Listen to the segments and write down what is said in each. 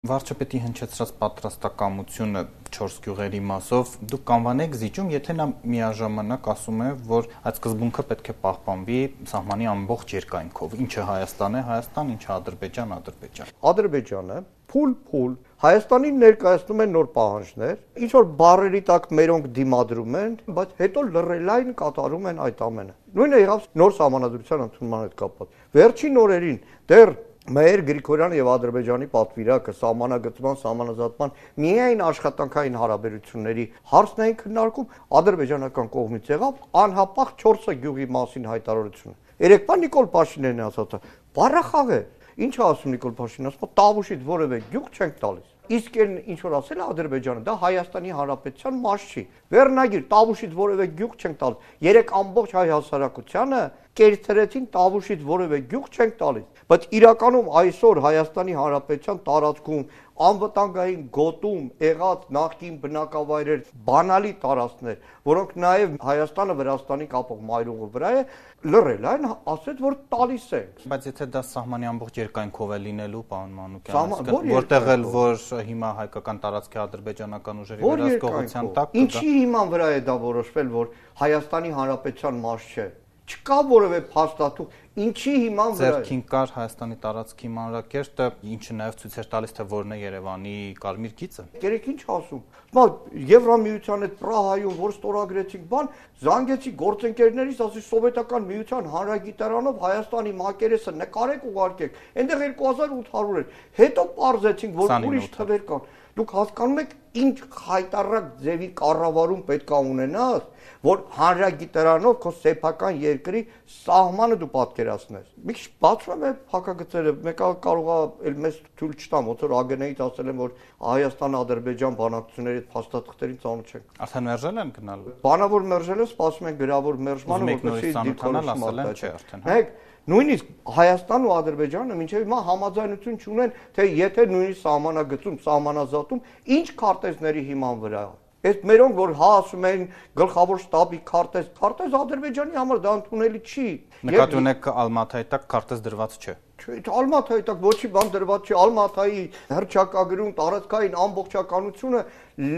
Վարչապետի հնչեցրած պատրաստակամությունը 4 գյուղերի մասով դուք կանվանեք զիջում, եթե նա միաժամանակ ասում է, որ այդ սկզբունքը պետք է պահպանվի սահմանի ամբողջ երկայնքով, ինչը Հայաստան է, Հայաստան, ինչը Ադրբեջան, Ադրբեջան։ Ադրբեջանը փուլ Հայաստանին ներկայացնում են նոր պահանջներ, ինչ որ բառերի տակ մերոնք դիմադրում են, բայց հետո լռելային կատարում են այդ ամենը։ Նույնը եղավ նոր սահմանադրության ընդունման հետ կապված։ Վերջին օրերին դեռ Մեր Գրիգորյան եւ Ադրբեջանի պատվիրակը սահմանագծման, սահմանազատման միայն աշխատանքային հարաբերությունների հարցն էին քննարկում, ադրբեջանական կողմից եղավ անհապաղ 4 գյուղի մասին հայտարարությունը։ Երեկվա Նիկոլ Փաշինյանն ասաց. «Բառախաղ է»։ Ինչ ասում Նիկոլ Փաշինյանը, ասում տավուշից որևէ գյուղ չենք տալիս։ Իսկ ինչ որ ասել է Ադրբեջանը, դա Հայաստանի Հանրապետության մաս չի։ Վերնագիր տավուշից որևէ գյուղ չենք տալիս։ Երեք ամբողջ հայ հասարակությանը կերծրեցին տավուշից որևէ գյուղ չենք տալիս։ Բայց իրականում այսօր Հայաստանի Հանրապետության տարածքում անվտանգային գոտում եղած նախկին բնակավայրեր, բանալի տարածքներ, որոնք նաև Հայաստանը Վրաստանի կապող մայրուղու վրա է, լռել այն ասեց, որ տալիս ենք։ Բայց եթե դա սահմանի ամբողջ երկայնքով է լինելու, պարոն Մանուկյան, որտեղ էլ որ հիմա հայկական տարածքի ադրբեջանական ուժերի վերահսկողության տակ, ինչի հիման վրա է դա որոշվել, որ Հայաստանի Հանրապետության մաս չէ։ Չկա որևէ փաստաթուղթ, ինչի հիման վրա է։ Ձերքին կար Հայաստանի տարածքի մանրակերտը, ինչը նաև ցույց էր տալիս, թե որն է Երևանի կարմիր գիծը։ Երեք ինչ ասում։ Հիմա Եվրամիության հետ Պրահայում, որ ստորագրեցինք բան, զանգեցի գործընկերներից, ասի Սովետական միության հանրագիտարանով Հայաստանի մակերեսը նկարեք ուղարկեք։ Այնտեղ 2800 էր։ Հետո պարզեցինք, որ ուրիշ թվեր կան։ Դուք հասկանում եք, ինչ հայտարարակ ձևի կառավարում պետք է ունենաս, որ հանրագիտարանով քո սեփական երկրի սահմանը դու պատկերացնես։ Մի քիչ բացվում է փակագծերը, մեկը կարող է մեզ թույլ չտամ, ոնց որ ԱԳՆ-ից ասել են, որ Հայաստան-Ադրբեջան բանակցությունների փաստաթղթերին ծանոթ չենք։ Արդեն մերժել են գնալ։ Բանավոր մերժել է, սպասում են գրավոր մերժմանը, որպեսզի դիտորոշում ասել են, չէ, արդեն։ Հեք նույնիսկ Հայաստանն ու Ադրբեջանը մինչև հիմա համաձայնություն չունեն, թե եթե նույնիսկ սահմանագծում, սահմանազատում ինչ քարտեզների հիման վրա է։ Այդ մերոնք որ ասում են գլխավոր շտաբի քարտեզ Ադրբեջանի համար դա ընդունելի չի։ Նկատի ունեք Ալմաթայի տակ քարտեզ դրված չէ։ Ալմաթայի տակ ոչի բան դրված չի, Ալմաթայի հռչակագրում տարածքային ամբողջականությունը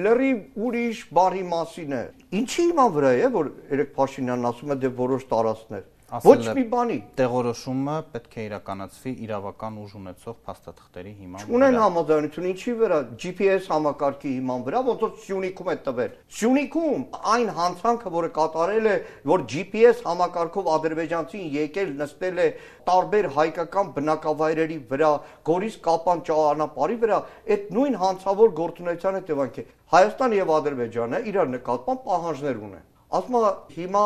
լրիվ ուրիշ բառի մասին է։ Ինչի հիման վրա է, որ երեք Փաշինյանն ասում է դե որոշ տարածքներ։ Ոչ մի բանի։ Տեղորոշումը պետք է իրականացվի իրավական ուժ ունեցող փաստաթղթերի հիման վրա։ Չունեն համաձայնություն, ինչի վրա, GPS համակարգի հիման վրա, ոնց որ Սյունիքում է տվել։ Սյունիքում այն հանցանքը, որը կատարել է, որ GPS համակարգով ադրբեջանցին եկել նստել է տարբեր հայկական բնակավայրերի վրա, Գորիս Կապան ճանապարհի վրա, այդ նույն հանցավոր գործունեության հետևանք է։ Հայաստան եւ Ադրբեջանը իրար նկատմամբ պահանջներ ունեն։ Ասում է հիմա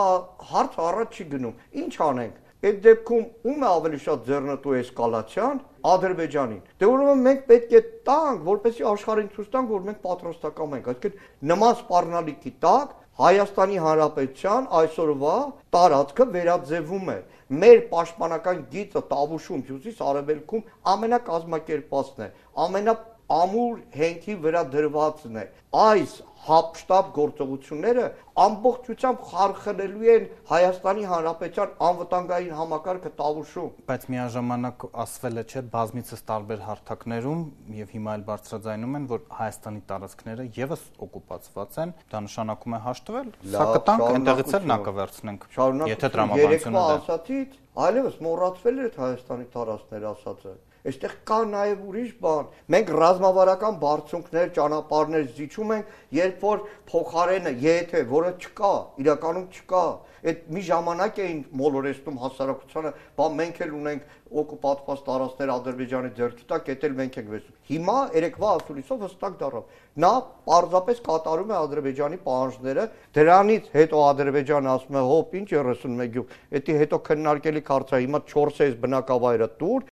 հարց առաջ չի գնում։ Ինչ անենք։ Այդ դեպքում ում է ավելի շատ ձեռնտու էսկալացիան Ադրբեջանին։ Դե ուրեմն մենք պետք է տանք, որպեսզի աշխարհին ցույց տանք, որ մենք պատրաստական ենք։ Այսինքն նման սպառնալիքի տակ Հայաստանի Հանրապետության այսօրվա տարածքը վերաձևում է։ Մեր պաշտպանական գիծը Տավուշում, Հյուսիս Արևելքում ամենակազմակերպվածն է, ամենաամուր հենքի վրա դրվածն է։ Այս հապշտապ գործողությունները ամբողջությամբ խարխլելու են Հայաստանի Հանրապետության անվտանգային համակարգը Տավուշում։ Բայց միաժամանակ ասվել է, չէ, բազմիցս տարբեր հարթակներում եւ հիմա էլ բարձրաձայնում են, որ Հայաստանի տարածքները եւս օկուպացված են, դա նշանակում է հաշտվել։ Սա կտանք, այնտեղից էլ նա կվերցնենք։ Եթե տրամաբանությունը ասացից, այլևս մոռացվել է Հայաստանի տարածքները ասածը։ Այստեղ կա նաև ուրիշ բան։ Մենք ռազմավարական բարձունքներ, ճանապարհներ զիջում ենք, երբ որ փոխարենը, եթե որը չկա, իրականում չկա, այդ մի ժամանակ էին մոլորեցնում հասարակությանը, բա մենք էլ ունենք օկուպացված տարածքներ Ադրբեջանի ձեռքի տակ, դա էլ մենք ենք վերցնում։ Հիմա երեկվա ասուլիսով հստակ դառավ։ Նա պարզապես կատարում է Ադրբեջանի պահանջները, դրանից հետո Ադրբեջանը ասում է՝ հոպ, ինչ 31 գյուղ, դա հետո քննարկելի հարց է, հիմա 4 էս բնակավայրը տուր,